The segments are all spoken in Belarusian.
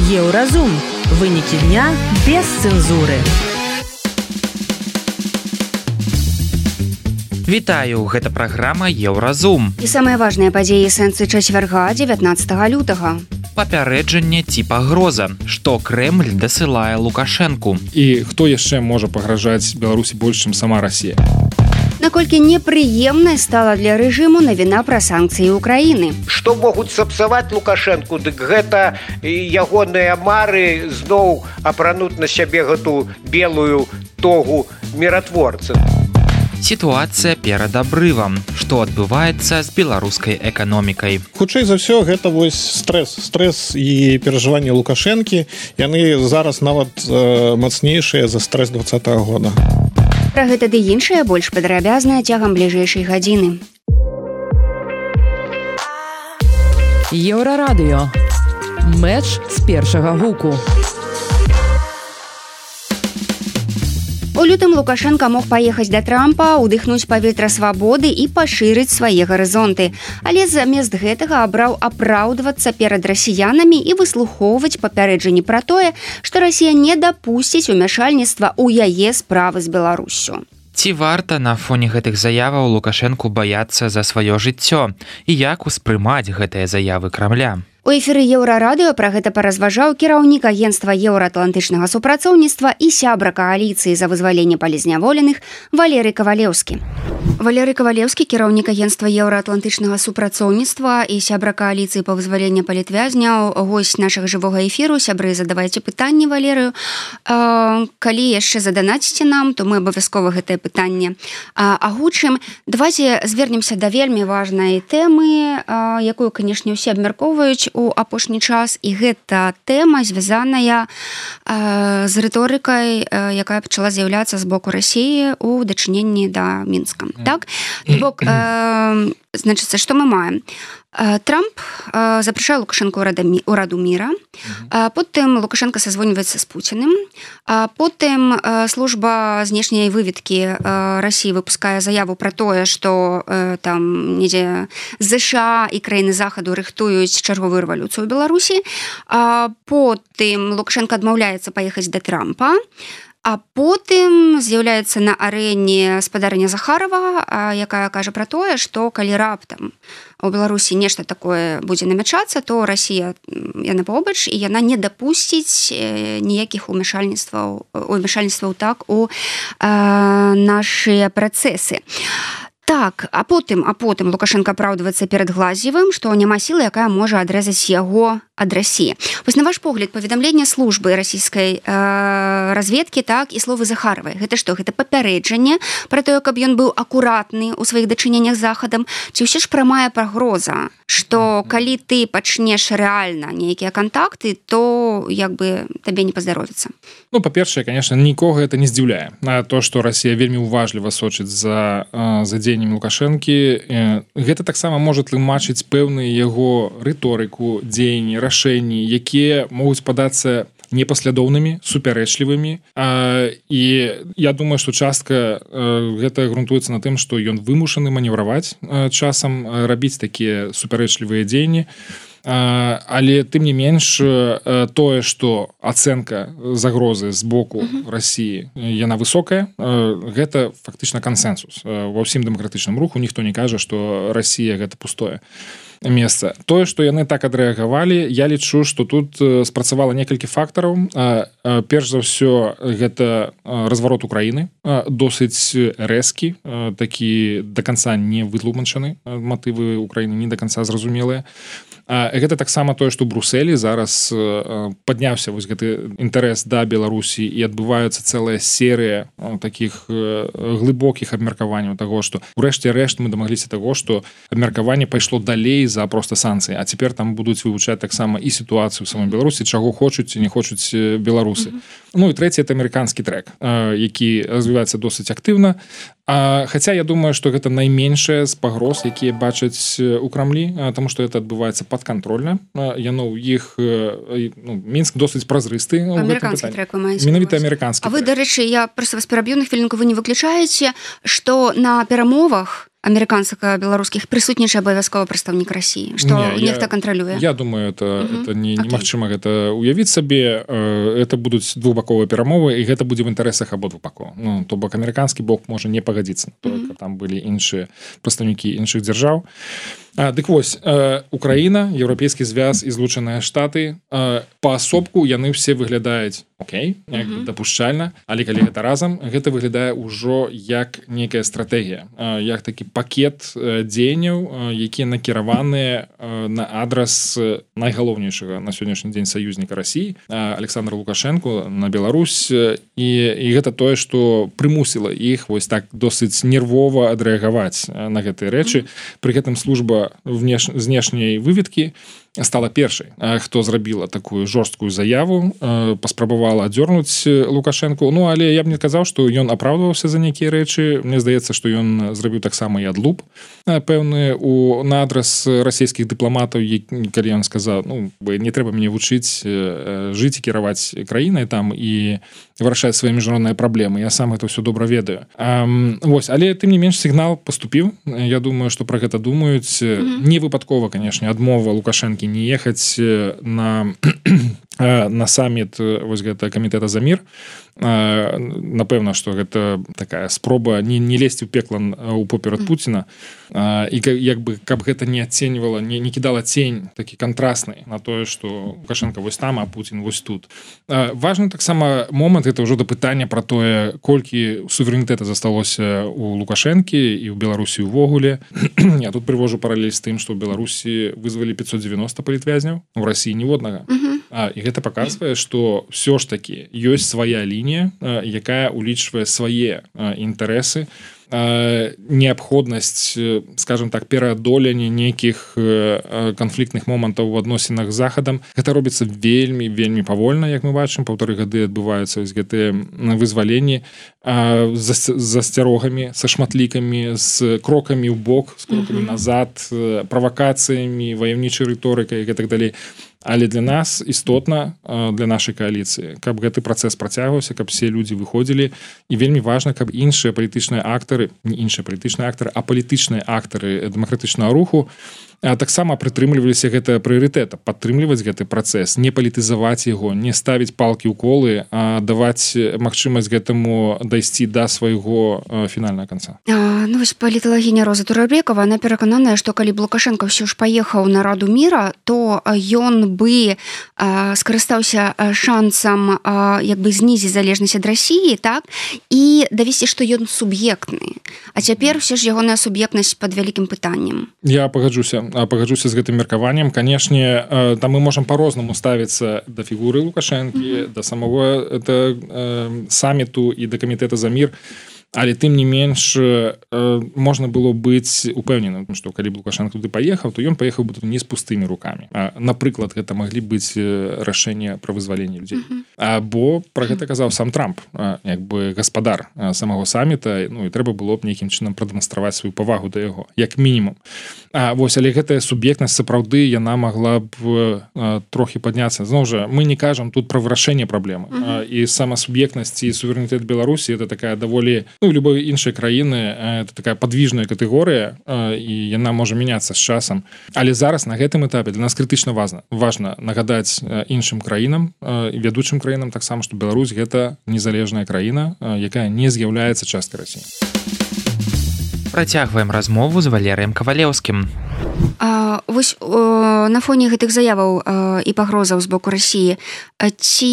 Еўразум. Вынікі дня без цэнзуры. Вітаю, гэта праграма Еўразум. І самыя важныя падзеі сэнсы чацвярга 19 лютага. Папярэджанне ці пагроза, што Крэмль дасылае Лукашэнку. І хто яшчэ можа пагражаць Беларусі больш, чым сама Расія? Наколькі непрыемнай стала для рэжыму навіна пра санкцыі ўкраіны. Што могуць сапсаваць Лукашэнку, дык гэта ягоныя мары зноў апрануць на сябе гэту белую тогу міратворца. Сітуацыя перад абрывам. Што адбываецца з беларускай эканомікай? Хутчэй за ўсё, гэта вось стресс і перажыванні Лукашэнкі. Яны зараз нават мацнейшыя за стресс 2020 года. Пра гэта ды іншае больш падрабязна цягам бліжэйшай гадзіны. Еўрарадыё. Мэч з першага гуку. У лютым Лукашенка мог паехаць да Трампа, удыхнуць паветра свабоды і пашырыць свае гарызонты. Але замест гэтага абраў апраўдвацца перад расіянамі і выслухоўваць папярэджанні пра тое, што Расія не дапусціць умяшальніцтва ў яе справы з Беларуссю. Ці варта на фоне гэтых заяваў Лукашэнку баяцца за сваё жыццё? І як успрымаць гэтыя заявы Крамля? У эфіры Еўрарадыё пра гэта паразважаў кіраўнік агенцтва еўраатлантычнага супрацоўніцтва і сябра кааліцыі за вызваленне палізняволеных Валерый Кавалеўскі. Валерый Кавалеўскі, кіраўнік агенцтва еўраатлантычнага супрацоўніцтва і сябра кааліцыі па вызваленні палітвязняў, госць нашага жывога эфіру. Сябры, задавайце пытанні Валерыю. Калі яшчэ заданаціце нам, то мы абавязкова гэтае пытанне агучым. Давайте звернемся да вельмі важнай тэмы, якую, канешне, усе абмяркоўваюць у апошні час, і гэта тэма звязаная з рыторыкай, якая пачала з'яўляцца з боку Расіі ў дачыненні да Мінска. Так? Бок, значыцца, што мы маем? Трамп запрашае Лукашэнку ў Раду міра, потым Лукашенко созвоньваецца з Пуціным, потым служба знешняй выведкі Расіі выпускае заяву пра тое, што там недзе ЗША і краіны захаду рыхтуюць чарговую рэвалюцыю ў Беларусі, потым Лукашенко адмаўляецца паехаць да Трампа, а потым з'яўляецца на арэне спадарня Захарова, якая кажа пра тое, што калі раптам у Беларусі нешта такое будзе намячацца, то Расія яна побач, і яна не дапусціць ніякіх умяшальніцтваў так у нашыя працэсы. Так, а потым Лукашенко апраўдваецца перад Глазьевым, што няма сілы, якая можа адрэзаць яго ад Расіі. Вось на ваш погляд, паведамленне службы расійскай разведкі, так, і словы Захаровай. Гэта што? Гэта папярэджанне пра тое, каб ён быў акуратны ў сваіх дачыненнях з Захадам? Ці ўсё ж прамая пагроза, што калі ты пачнеш рэальна нейкія кантакты, то як бы табе не паздаровіцца? Ну, па-першае, конечно, нікога это не здзіўляе. То, што Расія вельмі уважліва сочыць за дзеяннем Лукашэнкі, гэта таксама можа тлумачыць пэўную яго рыторыку, дзеянні, рашэнні, якія могуць падацца непаслядоўнымі, супярэчлівымі. І я думаю, што частка гэта грунтуецца на тым, што ён вымушаны манеўраваць часам, рабіць такія супярэчлівыя дзеянні. Але тым не менш, тое, што ацэнка загрозы з боку Расіі яна высокая, гэта фактычна кансэнсус. Ва ўсім дэмакратычным руху ніхто не кажа, што Расія гэта пустое месца. Тое, што яны так адрэагавалі, я лічу, што тут спрацавала некалькі фактараў. Перш за ўсё, гэта разварот Украіны, досыць рэзкі, такі да канца не вытлумачаны, матывы Украіны не да канца зразумелыя. Гэта таксама тое, што ў Брусэлі зараз падняўся вось гэты інтарэс да Беларусі, і адбываецца цэлая серыя такіх глыбокіх абмеркаванняў таго, што ўрэшце рэшт мы дамагліся таго, што абмеркаванне пайшло далей за проста санкцыі, а цяпер там будуць вывучаць таксама і сітуацыю ў самой Беларусі, чаго хочуць ці не хочуць беларусы. Ну і трэці, это амерыканскі трэк, які развіваецца досыць актыўна. Хаця я думаю, што гэта найменшая з пагроз, якія бачаць у Крамлі, таму што гэта адбываецца падкантрольна. Яно ў іх, Мінск досыць празрысты. Амерыканскі трэк вы маеце. Менавіта амерыканскі трэк. А вы, дарэчы, я проста вас пераб'ю на хвілінку, вы не выключаеце, што на перамовах амерыканска-беларускіх прысутнічае абавязкова прадстаўнік Расіі, што нехта кантралюе? Я думаю, это немагчыма гэта уявіць сабе. Это будуць двухбаковыя перамовы, і гэта будзе в інтарэсах абодвух бакоў. Ну, то бок амерыканскі бок можа не пагадзіцца на тое, каб там былі іншыя прадстаўнікі іншых дзяржаў. Дык вось, Украіна, Еўрапейскі звяз і Злучаныя Штаты паасобку яны ўсе выглядаюць окей, дапушчальна, але калі гэта разам, гэта выглядае ўжо як некая стратэгія, як такі пакет дзеянняў, якія накіраваныя на адрас найгалоўнейшага на сённяшні дзень саюзніка Расіі, Александра Лукашенко, на Беларусь, і гэта тое, што прымусіла іх вось так досыць нервова адрэагаваць на гэтыя рэчы. Пры гэтым служба знешняй выведкі стала першай, хто зрабіла такую жорсткую заяву, паспрабавала адзёрнуць Лукашенку. Ну, але я б не казаў, што ён апраўдваўся за нейкія рэчы. Мне здаецца, што ён зрабіў таксама і адлуп пэўны на адрас расійскіх дыпламатаў, калі ён сказаў, ну, не трэба мяне вучыць жыць і кіраваць краінай там і вырашаць свае міжнародныя праблемы. Я сам гэта ўсё добра ведаю. Вось, але тым не менш сігнал паступіў. Я думаю, што пра гэта думаюць. Не выпадкова, канешне, адмова Лукашэнкі не ехаць на саміт вось гэта камітэта за мір. Напэўна, што гэта такая спроба не лезці ў пекла ў поперад Пуціна, і як бы каб гэта не адценьвала, не кідала цень такі кантрасны на тое, што Лукашенко вось там, а Пуцін вось тут. Важны таксама момант, гэта ўжо да пытання пра тое, колькі суверэнітэта засталося у Лукашэнкі і ў Беларусі ўвогуле. Я тут прывожу паралель з тым, што ў Беларусі вызвалі 590 палітвязняў, у Расіі ніводнага. І гэта паказвае, што ўсё ж такі ёсць свая лінія, якая улічвае свае інтарэсы, неабходнасць, скажем так, пераадолення нейкіх канфліктных момантаў у адносінах з Захадам. Гэта робіцца вельмі павольна, як мы бачым, 1,5 гады адбываюцца гэтыя вызваленні з засцярогамі, са шматлікамі, з крокамі ў бок, з крокамі назад, правакацыямі, ваяўнічай рыторыкай і так далей. Але для нас істотна, для нашай кааліцыі, каб гэты працэс працягваўся, каб все людзі выходзілі, і вельмі важна, каб іншыя палітычныя актары, не іншыя палітычныя актары, а палітычныя актары дэмакратычнага руху таксама прытрымліваліся гэта прыярытэта, падтрымліваць гэты працэс, не палітызаваць яго, не ставіць палкі ў колы, а даваць магчымасць гэтаму дайсці да свайго фінальнага канца. Ну вось паліталагіня Роза Турабекова, она перакананая, што калі б Лукашенко ўсё ж паехаў на Раду міра, то ён бы скарыстаўся шансам як бы знізіць залежнасць ад Расіі, так, і давесці, што ён суб'ектны. А цяпер усе ж ягоная суб'ектнасць пад вялікім пытаннем. Я пагаджуся з гэтым меркаваннем. Канешне, там мы можам по-рознаму ставіцца да фігуры Лукашэнкі, да самого саміту і да камітэта за мір. Але тым не менш можна было быць упэўненым, што калі б Лукашенко туды паехаў, то ён паехаў бы тут не з пустымі рукамі. Напрыклад, гэта маглі быць рашэнне пра вызваленне людзей. Бо пра гэта казаў сам Трамп, як бы гаспадар самого саміта, ну і трэба было б нейкім чынам прадэманстраваць сваю павагу да яго, як мінімум. Вось, але гэтая суб'ектнасць сапраўды яна магла б трохі падняцца. Зноў жа, мы не кажам тут пра вырашэнне праблемы. І сама суб'ектнасць і суверэнітэт Беларусі это такая даволі, ну, любой іншай краіны, это такая падвижная катэгорыя, і яна можа мяняцца з часам. Але зараз на гэтым этапе для нас крытычна важна нагадаць іншым краінам, вядучым краінам таксама, што Беларусь гэта незалежная краіна, якая не з'яўляецца часткай Расіі. Працягваем размову з Валерыем Кавалеўскім. Вось на фоне гэтых заяваў і пагрозаў з боку Расіі, ці,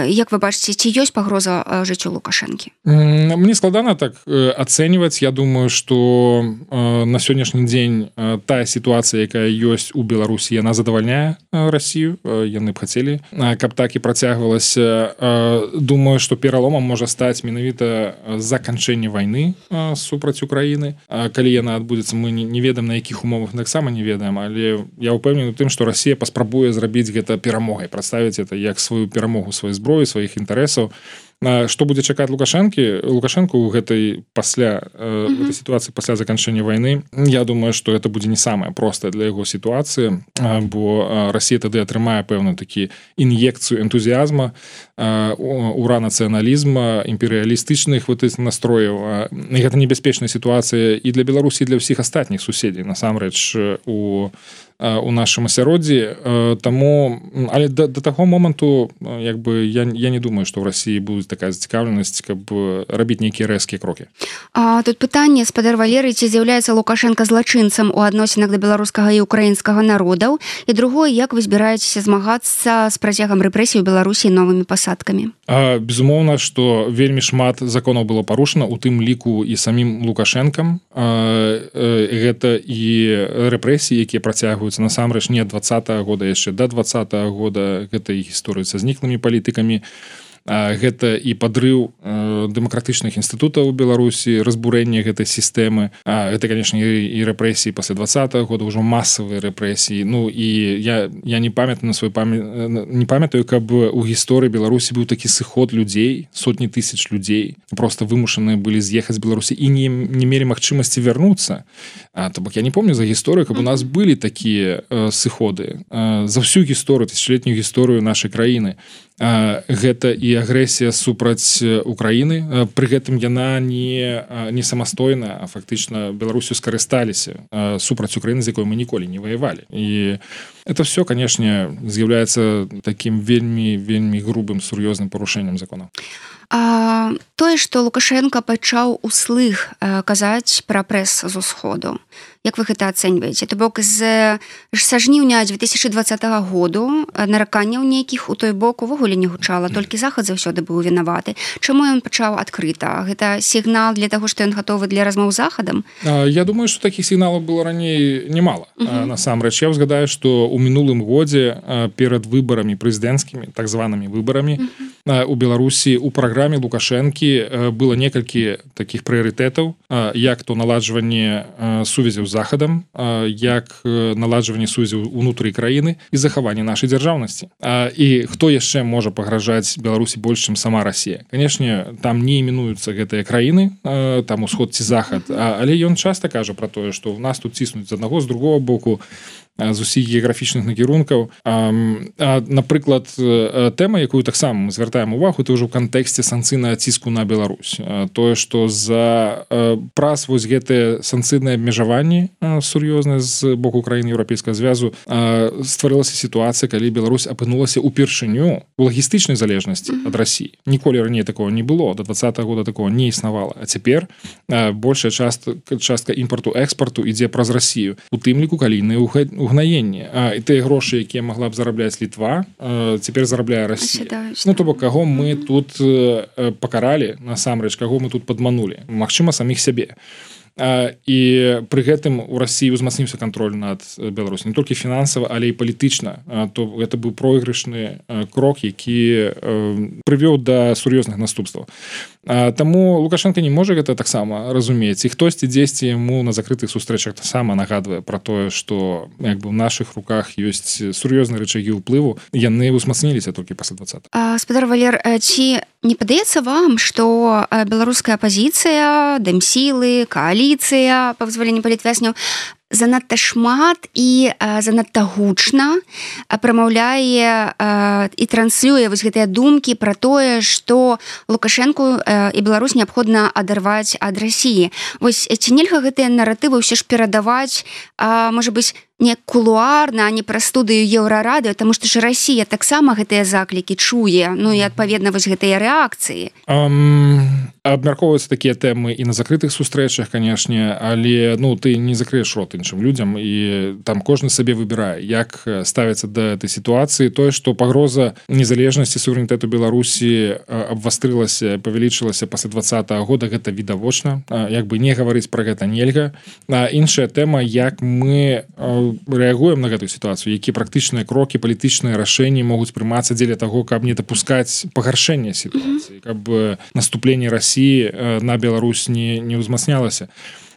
як вы бачыце, ці ёсць пагроза жыццю Лукашэнкі? Мне складана так ацэньваць. Я думаю, што на сённяшні дзень тая сітуацыя, якая ёсць у Беларусі, яна задавальняе Расію. Яны б хацелі, каб так і працягвалася. Думаю, што пераломам можа стаць менавіта заканчэнне вайны супраць Украіны. Калі яна адбудзецца, мы не ведаем, на якіх умовах таксама не ведаем, але я ўпэўнены ў тым, што Расія паспрабуе зрабіць гэта перамогай, прадставіць это як сваю перамогу сваёй зброі, сваіх інтарэсаў. Што будзе чакаць Лукашенко ў гэтай гэтай сітуацыі пасля заканчэння вайны? Я думаю, што это будзе не самая простая для яго сітуацыя, бо Расія тады атрымае пэўны такі ін'екцыю энтузіазма, ура нацыяналізма, імперыялістычных настрояў. Гэта небяспечная сітуацыя і для Беларусі, і для ўсіх астатніх суседзей, насамрэч, у нашым асяроддзі. Таму, але да таго моманту я не думаю, што ў Расіі будзе такая зацікаўленасць, каб рабіць нейкія рэзкія крокі. Тут пытанне, спадар Валерый, ці з'яўляецца Лукашенко злачынцам у адносінах да беларускага і украінскага народаў, і другое, як вы збіраецеся змагацца з працягам рэпрэсій у Беларусі новымі пасадкамі? Безумоўна, што вельмі шмат законаў было парушана, у тым ліку і самім Лукашэнкам. Гэта і рэпрэсіі, якія працягваюцца насамрэч не ад 20-го года, яшчэ да 20-го года. Гэта і гісторыя са зніклымі палітыкамі, гэта і падрыў дэмакратычных інстытутаў у Беларусі, разбурэнне гэтай сістэмы. Гэта, канешне, і рэпрэсіі пасля 20-го года, ўжо масавыя рэпрэсіі. І я не памятаю, каб у гісторыі Беларусі быў такі сыход людзей, сотні тысяч людзей, проста вымушаныя былі з'ехаць з Беларусі і не мелі магчымасці вярнуцца. То бок я не помню за гісторыю, каб у нас былі такія сыходы. За всю гісторыю, тысячалетнюю гісторыю нашай краіны. Гэта і агрэсія супраць Украіны. Пры гэтым яна не самастойна, а фактычна Беларусю скарысталіся супраць Украіны, з якой мы ніколі не ваявалі. І это все, канешне, з'яўляецца такім вельмі грубым, сур'ёзным парушэннем законаў. Тое, што Лукашенко пачаў услых казаць пра прэс з усходу, як вы гэта ацэньваеце? То бок са жніўня 2020 году нараканняў нейкіх у той бок увогуле не гучала, толькі Захад заўсёды быў вінаваты. Чаму ён пачаў адкрыта? Гэта сігнал для таго, што ён гатовы для размоў з Захадам? Я думаю, што такіх сігналаў было раней немало. Насамрэч, я ўзгадаю, што ў мінулым годзе перад выбарамі прэзідэнцкімі, так званымі выбарамі у Беларусі у праграме Лукашэнкі было некалькі такіх прыярытэтаў, як то наладжванне сувязяў з Захадам, як наладжванне сувязяў унутры краіны і захаванне нашай дзяржаўнасці. І хто яшчэ можа пагражаць Беларусі больш, чым сама Расія? Канешне, там не іменуюцца гэтыя краіны, там усход ці Захад, але ён часта кажа пра тое, што ў нас тут ціснуць з аднаго, з другого боку, з усіх геаграфічных накірункаў. Напрыклад, тэма, якую таксама мы звяртаем увагу, это ўжо ў кантэксце санкцыйнага ціску на Беларусь. Тое, што праз вось гэтыя санкцыйныя абмежаванні сур'ёзныя з боку краін Еўрапейскага звязу стварылася сітуацыя, калі Беларусь апынулася ўпершыню у лагістычнай залежнасці ад Расіі. Ніколі раней такого не было, до 20-го года такого не існавала. А цяпер большая частка імпарту-экспарту ідзе праз Расію, у тым ліку калійныя угнаенне. І тыя грошы, якія магла б зарабляць Літва, цяпер зарабляе Расія. То бок, каго мы тут пакаралі, насамрэч, каго мы тут падманулі? Магчыма, саміх сябе. І пры гэтым у Расіі ўзмацніўся кантроль над Беларусі не толькі фінансава, але і палітычна. То гэта быў пройгрышны крок, які прывёў да сур'ёзных наступстваў. Таму Лукашенко не можа гэта таксама разумець, і хтосьці дзесьці яму на закрытых сустрэчах таксама нагадвае пра тое, што як бы ў нашых руках ёсць сур'ёзныя рычагі ўплыву, яны ўзмацніліся толькі пасля 20. Спадар Валер, ці не падаецца вам, што беларуская апазіцыя, дэмсілы, коаліцыя па вызваленні палітвязняў занадта шмат і занадта гучна прамаўляе і транслюе вось гэтыя думкі пра тое, што Лукашэнку і Беларусь неабходна адарваць ад Расіі. Вось ці нельга гэтыя наратывы ўсё ж перадаваць, можа быць, не кулуарна, а не праз студыю Еўрарадыё, таму што ж Расія таксама гэтыя заклікі чуе, і адпаведна вось гэтыя рэакцыі. Абмяркоўваюцца такія тэмы і на закрытых сустрэчах, канешне, але ты не закрыеш рот іншым людзям, і там кожны сабе выбірае, як ставіцца да этой сітуацыі. Тое, што пагроза незалежнасці, суверэнітэту Беларусі абвастрылася, павялічылася пасля 20-го года, гэта відавочна. Як бы не гаварыць пра гэта нельга. Іншая тэма, як мы рэагуем на гэтую сітуацыю, якія практычныя крокі, палітычныя рашэнні могуць прымацца дзеля таго, каб не дапускаць пагаршэння сітуацыі, каб наступленне Расіі на Беларусь не ўзмацнялася.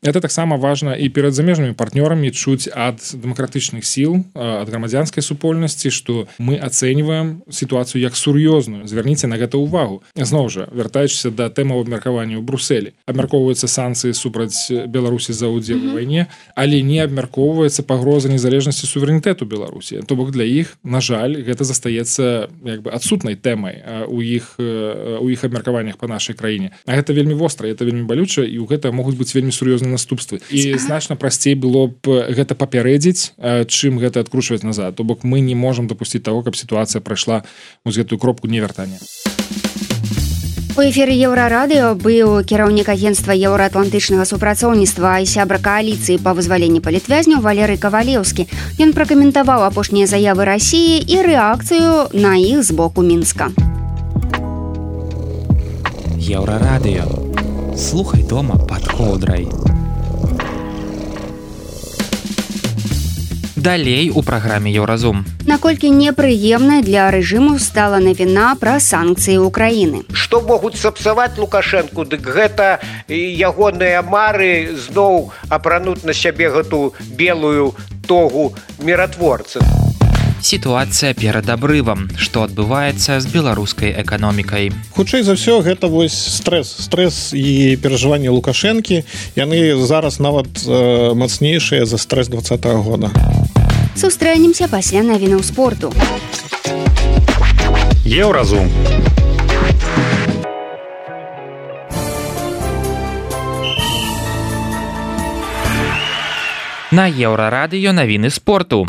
Это таксама важна і перад замежнымі партнёрамі чуць ад дэмакратычных сіл, ад грамадзянскай супольнасці, што мы ацэньваем сітуацыю як сур'ёзную. Звярніце на гэта ўвагу. Зноў жа, вяртаючыся да тэмаў абмеркавання ў Брусэлі. Абмяркоўваюцца санкцыі супраць Беларусі за ўдзел у вайне, але не абмяркоўваецца пагроза незалежнасці суверэнітэту Беларусі. То бок для іх, на жаль, гэта застаецца як бы адсутнай тэмай у іх абмеркаваннях па нашай краіне. А гэта вельмі востра, гэта вельмі балюча, і ў гэта могуць быць вельмі сур'ёзныя наступствы. І значна прасцей было б гэта папярэдзіць, чым гэта адкручваць назад. То бок мы не можам дапусціць таго, каб сітуацыя прайшла вось гэтую кропку невяртання. У эфіры Еўрарадыё быў кіраўнік агенцтва еўраатлантычнага супрацоўніцтва і сябра кааліцыі па вызваленні палітвязняў Валерый Кавалеўскі. Ён пракаментаваў апошнія заявы Расіі і рэакцыю на іх з боку Мінска. Еўрарадыё. Слухай дома пад коўдрай. Далей у праграме Еўразум. Наколькі непрыемнай для рэжыму стала навіна пра санкцыі ўкраіны. Што могуць сапсаваць Лукашэнку, дык гэта ягоныя мары зноў апрануць на сябе гэту белую тогу міратворцы. Сітуацыя перад абрывам. Што адбываецца з беларускай эканомікай? Хутчэй за ўсё, гэта вось стресс і перажыванні Лукашэнкі. Яны зараз нават мацнейшыя за стресс 2020 года. Сустрэнемся пасля навінаў спорту. Еўразум. На Еўрарадыё навіны спорту.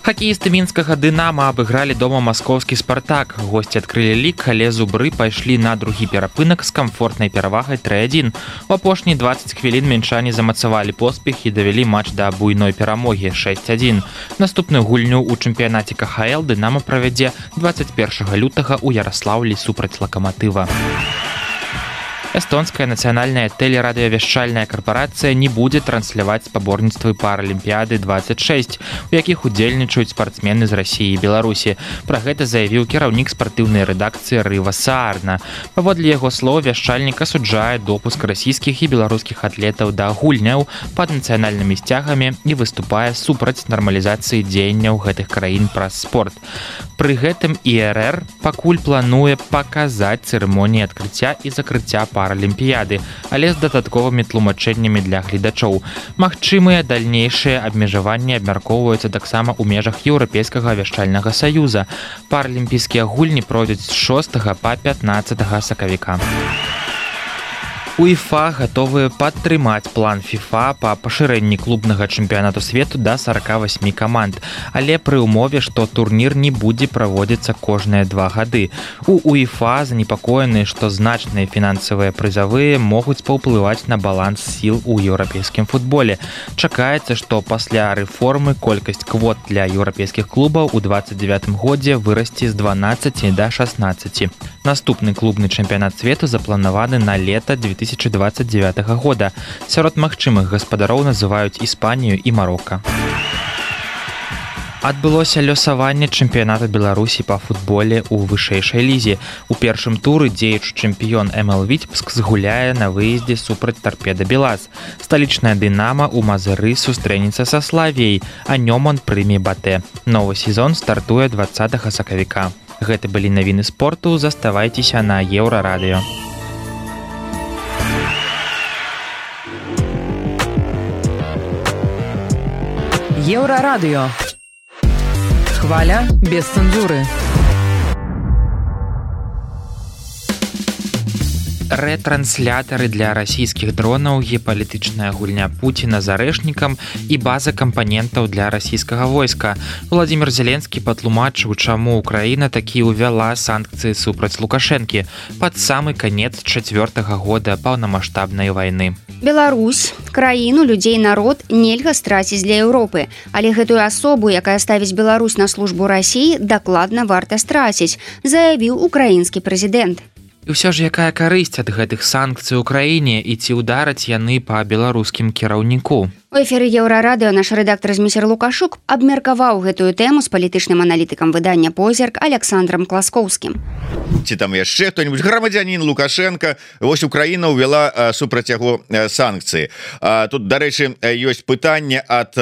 Хакеісты мінскага «Дынама» абыгралі дома маскоўскі «Спартак». Госці адкрылі лік, але зубры пайшлі на другі перапынак з камфортнай перавагай 3-1. У апошнія 20 хвілін мінчане замацавалі поспех і давялі матч да буйной перамогі 6-1. Наступную гульню ў чэмпіянаце КХЛ «Дынама» правядзе 21 лютага ў Яраслаўлі супраць «Лакаматыва». Эстонская нацыянальная тэлерадыёвяшчальная карпарацыя не будзе трансляваць спаборніцтвы Паралімпіяды 26, у якіх удзельнічаюць спартсмены з Расіі і Беларусі. Пра гэта заявіў кіраўнік спартыўнай рэдакцыі Рыва Саарна. Паводле яго слоў, вяшчальнік асуджае допуск расійскіх і беларускіх атлетаў да гульняў пад нацыянальнымі сцягамі і выступае супраць нармалізацыі дзеянняў гэтых краін праз спорт. Пры гэтым ІРР пакуль плануе паказаць цырымоніі адкрыцця і закрыцця Паралімпіяды, але з дадатковымі тлумачэннямі для гледачоў. Магчымыя дальнейшыя абмежаванні абмяркоўваюцца таксама ў межах Еўрапейскага вяшчальнага саюза. Паралімпійскія гульні пройдуць з 6 па 15 сакавіка. УЕФА гатовыя падтрымаць план ФІФА па пашырэнні клубнага чэмпіянату свету да 48 каманд, але пры ўмове, што турнір не будзе праводзіцца кожныя 2 гады. У УЕФА занепакоены, што значныя фінансавыя прызавыя могуць паўплываць на баланс сіл у еўрапейскім футболе. Чакаецца, што пасля рэформы колькасць квот для еўрапейскіх клубаў у 29 годзе вырасце з 12 да 16. Наступны клубны чэмпіянат свету запланаваны на лета 2029 года. Сярод магчымых гаспадароў называюць Іспанію і Марока. Адбылося лёсаванне чэмпіянату Беларусі па футболе ў вышэйшай лізе. У першым туры дзеючы чэмпіён МЛ Віцебск згуляе на выездзе супраць Торпеда Белаз. Сталічная «Дынама» у Мазыры сустрэнецца са Славіяй, а Нёман прыме Батэ. Новы сезон стартуе 20 сакавіка. Гэта былі навіны спорту, заставайцеся на Еўрарадыё. Еўрарадыё. Хваля без цэнзуры. Рэтранслятары для расійскіх дронаў, геапалітычная гульня Пуціна з арэшнікам і база кампанентаў для расійскага войска. Владзімір Зеленскі патлумачыў, чаму Украіна такі ўвяла санкцыі супраць Лукашэнкі пад самы канец 4-го года паўнамаштабнай вайны. Беларусь, краіну, людзей, народ нельга страціць для Еўропы, але гэтую асобу, якая ставіць Беларусь на службу Расіі, дакладна варта страціць, заявіў украінскі прэзідэнт. І ўсё ж якая карысць ад гэтых санкцый у краіне і ці ўдараць яны па беларускім кіраўніку? У эфіры Еўрарадыё наш рэдактар Зміцер Лукашук абмеркаваў гэтую тэму з палітычным аналітыкам выдання «Позірк» Александром Класкоўскім. Ці там яшчэ хто-нибудь грамадзянін Лукашенко, вось Украіна ўвяла супраць яго санкцыі. Тут, дарэчы, ёсць пытанне ад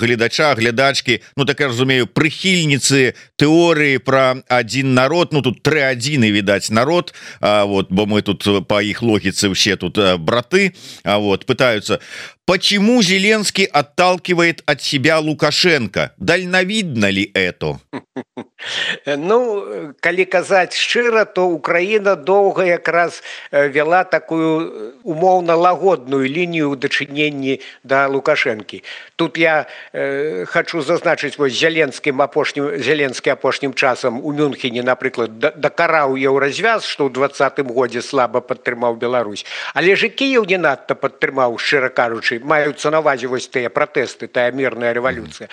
глядачкі, ну так я разумею, прыхільніцы тэорыі пра адзін народ, ну тут 3-1 відаць народ, вот, бо мы тут па іх логіцы ўсе тут браты, вот, пытаются: почему Зеленский отталкивает от себя Лукашенко? Дальновидно ли это? Ну, калі казаць шчыра, то Украіна доўга якраз вела такую умоўна лагодную лінію ў дачыненні да Лукашэнкі. Тут я хочу зазначыць, вось Зеленскі апошнім часам у Мюнхене, напрыклад, дакараў еўразвяз, што ў 2020 годзе слаба падтрымаў Беларусь. Але ж і Кіеў не надта падтрымаў, шчыра кажучы, маюцца на ўвазе вось тыя пратэсты, тая мірная рэвалюцыя.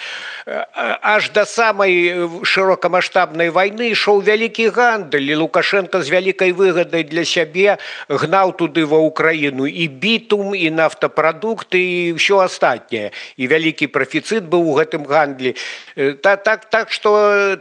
Аж да самай шырокамаштабнай вайны ішоў вялікі гандаль, і Лукашенко з вялікай выгадай для сябе гнаў туды ва Украіну і бітум, і нафтапрадукты, і ўсё астатняе. І вялікі прафіцыт быў у гэтым гандлі. Так што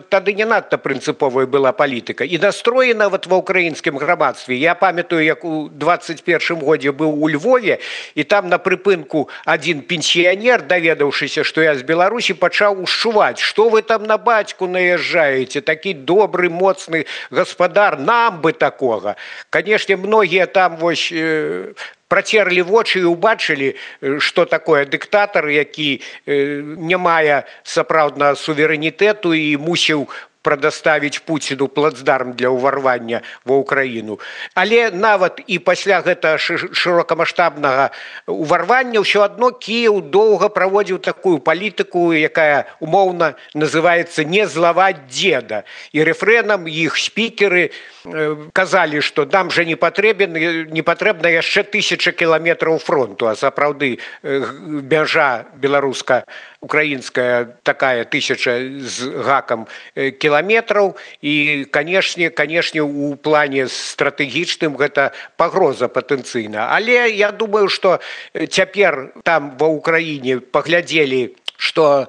тады не надта прынцыповая была палітыка. І настроі нават ва ўкраінскім грамадстве. Я памятаю, як у 21 годзе быў у Львове, і там на прыпынку адзін пенсіянер, даведаўшыся, што я з Беларусі, пачаў ушчуваць: што вы там на бацьку наязджаеце, такі добры, моцны гаспадар, нам бы такога. Канешне, многія там вось працерлі вочы і ўбачылі, што такое дыктатар, які не мае сапраўднага суверэнітэту і мусіў прадаставіць Пуціну плацдарм для ўварвання ва Ўкраіну. Але нават і пасля гэтага шырокамаштабнага ўварвання ўсё адно Кіеў доўга праводзіў такую палітыку, якая умоўна называецца «не злаваць дзеда». І рэфрэнам іх спікеры казалі, што нам жа не патрэбна яшчэ 1000 кіламетраў фронту, а сапраўды мяжа беларуска-украінская такая 1000 з гакам кіламетраў, і, канешне, у плане стратэгічным гэта пагроза патэнцыйна. Але я думаю, што цяпер там ва Ўкраіне паглядзелі, што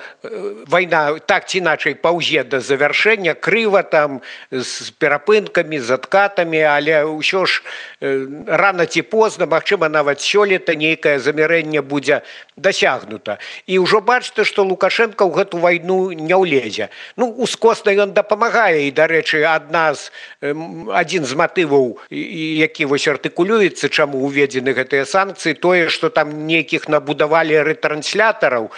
вайна так ці іначай паўзе да завяршэння, крыва там, з перапынкамі, з адкатамі, але ўсё ж рана ці позна, магчыма, нават сёлета нейкае замірэнне будзе дасягнута. І ўжо бачыце, што Лукашенко ў гэту вайну не ўлезе. Ну, ускосна ён дапамагае, і, дарэчы, адзін з матываў, які вось артыкулюецца, чаму ўведзены гэтыя санкцыі, тое, што там нейкіх набудавалі рэтранслятораў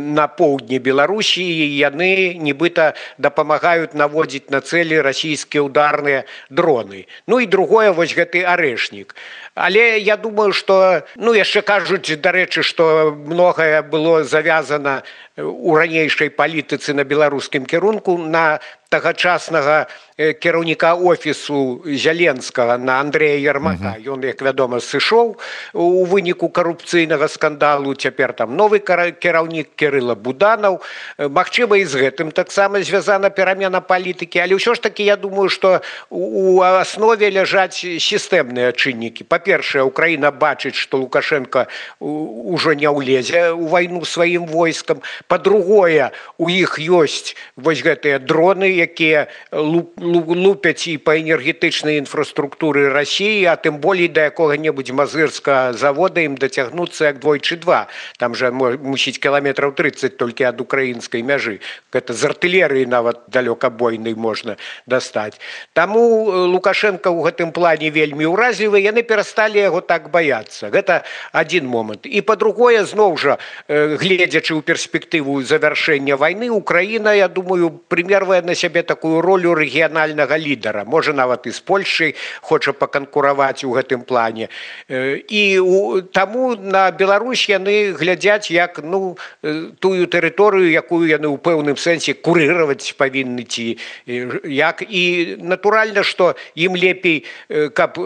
на поўдні Беларусі, і яны нібыта дапамагаюць наводзіць на цэлі расійскія ударныя дроны. Ну і другое, вось гэты арэшнік. Але я думаю, што, ну, яшчэ кажуць, дарэчы, што многае было завязана у ранейшай палітыцы на беларускім кірунку на тагачаснага кіраўніка офісу Зеленскага, на Андрэя Ярмака. Ён, як вядома, сышоў у выніку карупцыйнага скандалу. Цяпер там новы кіраўнік Кірыла Буданаў. Магчыма, і з гэтым таксама звязана перамена палітыкі. Але ўсё ж такі, я думаю, што у аснове ляжаць сістэмныя чыннікі. Па-першае, Украіна бачыць, што Лукашенко ўжо не ўлезе ў вайну сваім войскам. Па-другое, у іх ёсць вось гэтыя дроны, якія лупяць і па энергетычнай інфраструктуры Расіі, а тым болей да якога-небудзь мазырскага завода ім дацягнуцца як двойчы-два. Там жа мусіць кіламетраў 30 толькі ад украінскай мяжы. Гэта з артылерыі нават далёкабойнай можна дастаць. Таму Лукашенко ў гэтым плане вельмі ўразлівы, яны перасталі яго так баяцца. Гэта адзін момант. І па-другое, зноў жа, гледзячы ў перспектыву завяршэння вайны, Украіна, я думаю, прымервае на сябе такую ролю рэгіянальнага лідара. Можа, нават і з Польшай хоча паканкураваць у гэтым плане. І таму на Беларусь яны глядзяць як, ну, тую тэрыторыю, якую яны ў пэўным сэнсе курыраваць павінны ці як. І натуральна, што ім лепей, каб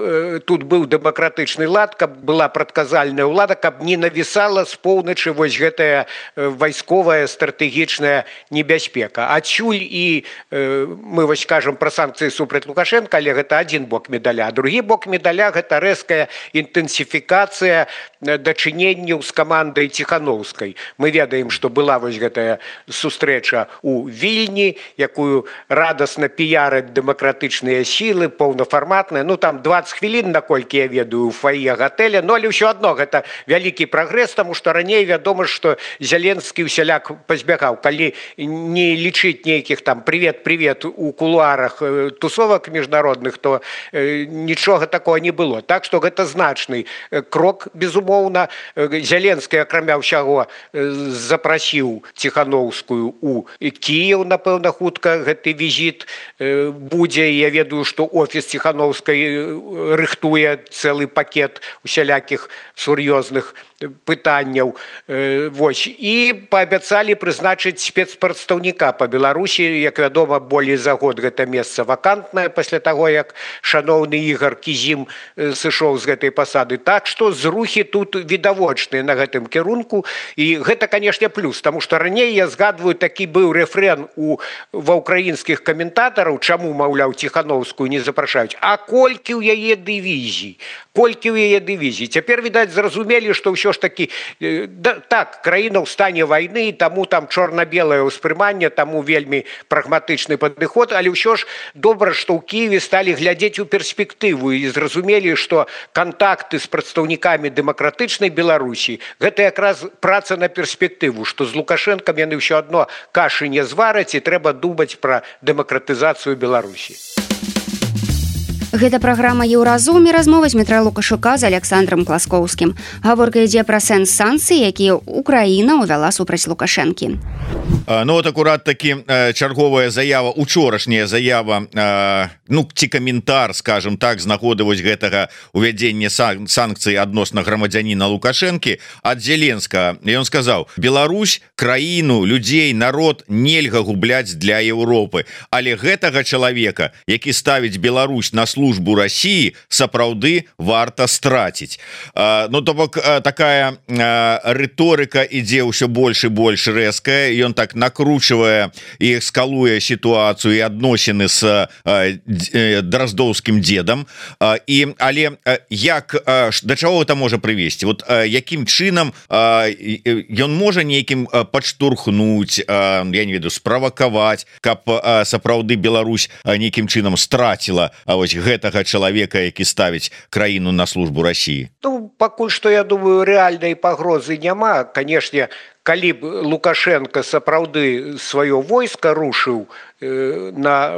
тут быў дэмакратычны лад, каб была прадказальная ўлада, каб не навісала з поўначы вось гэтая вайсковая стратэгічная небяспека. Адсюль і мы вось кажам пра санкцыі супраць Лукашенка, але гэта адзін бок медаля, а другі бок медаля гэта рэзкая інтэнсіфікацыя дачыненняў з камандай Ціхановскай. Мы ведаем, што была вось гэтая сустрэча ў Вільні, якую радасна піяраць дэмакратычныя сілы, паўнафарматная, ну там 20 хвілін, наколькі я ведаю, у фае гатэля, но але ўсё адно гэта вялікі прагрэс, таму што раней вядома, што Зеленскі ўсяляк пазбягаў, калі не лічыць нейкіх там привет у кулуарах тусовак міжнародных, то нічога такого не было. Так што гэта значны крок, безумоўна. Зеленскі, акрамя ўсяго, запрасіў Ціхановскую у Кіеў, напэўна, хутка гэты візіт будзе. Я ведаю, што офіс Ціхановскай рыхтуе цэлы пакет усялякіх сур'ёзных пытанняў. Вось. І паабяцалі прызначыць спецпрадстаўніка па Беларусі. Як вядома, болей за год гэта месца вакантнае пасля таго, як шаноўны Ігар Кізім сышоў з гэтай пасады. Так што зрухі тут відавочныя на гэтым кірунку. І гэта, канешне, плюс, таму што раней, я згадваю, такі быў рэфрэн ва ўкраінскіх каментатараў, чаму, маўляў, Ціхановскую не запрашаюць. А колькі ў яе дывізій? Колькі ў яе дывізій? Цяпер, відаць, зразумелі, што ўсё ж такі, так, краіна ў стане вайны, таму там чорна-белае ўспрыманне, таму вельмі прагматычны падыход, але ўсё ж добра, што ў Кіеве сталі глядзець у перспектыву і зразумелі, што кантакты з прадстаўнікамі дэмакратычнай Беларусі гэта якраз праца на перспектыву, што з Лукашэнкам яны ўсё адно кашы не звараць і трэба думаць пра дэмакратызацыю Беларусі. Гэта праграма «Еўразум» і размова з Дмітра Лукашука з Александром Класкоўскім. Гаворка ідзе пра сэнс санкцый, якія Украіна ўвяла супраць Лукашэнкі. Ну вот акурат таки чарговая заява, учорашняя заява, ну ці каментар, скажем так, з нагоды вось гэтага увядзення санкцый адносна грамадзяніна Лукашэнкі ад Зеленскага. І ён сказаў: Беларусь, краіну, людзей, народ нельга губляць для Еўропы, але гэтага чалавека, які ставіць Беларусь на службу России, сапраўды варта страціць. Ну то бок такая рыторыка ідзе ўсё больш і больш рэзкая, ён так накручивая и эскалуя ситуацию и адносіны с дроздоўскім дедам. Але як, да чаго это можа прывесці? Вот якім чынам ён можа нейкім падштурхнуць, я не ведаю, справакаваць, каб сапраўды Беларусь нейкім чынам страціла вось гэтага чалавека, які ставіць краіну на службу России? Ну, пакуль што, я думаю, рэальнай пагрозы няма. Канешне, калі б Лукашенко сапраўды сваё войска рушыў на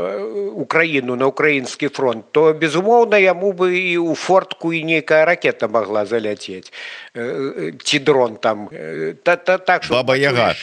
Украіну, на украінскі фронт, то, безумоўна, яму бы і ў фортку і нейкая ракета могла заляцець. Ці дрон там. Баба-Яга.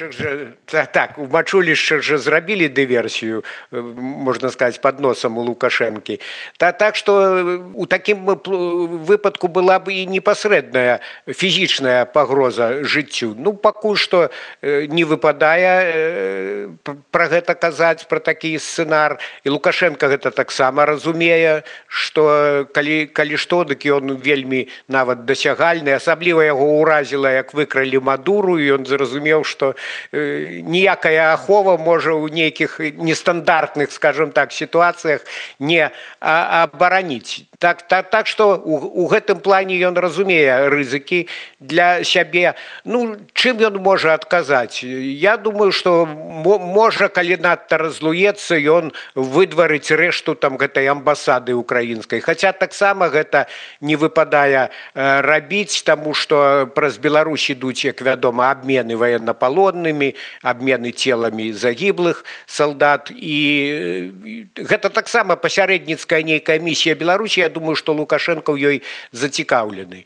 Так, у мачулішчах же зрабілі дыверсію, можна сказаць, пад носам у Лукашэнкі. Так што у такім выпадку была бы і непасрэдная фізічная пагроза жыццю. Ну, пакуль што не выпадае пра гэта казаць, пра такі сцэнар. І Лукашенко гэта таксама разумее, што калі што, дык ён вельмі нават дасягальны. Асабліва яго ўразіла, як выкралі Мадуру, і ён зразумеў, што ніякая ахова можа ў нейкіх нестандартных, скажем так, сітуацыях не абараніць. Так што у гэтым плане ён разумее рызыкі для сябе. Ну, чым ён можа адказаць? Я думаю, што можа, калі надта разлуецца, ён выдварыць рэшту там гэтай амбасады украінскай. Хаця таксама гэта не выпадае рабіць, таму што праз Беларусь ідуць, як вядома, абмены ваеннапалоннымі, абмены целамі загіблых салдат. І гэта таксама пасярэдніцкая нейкая місія Беларусі. Я думаю, што Лукашенко ў ёй зацікаўлены.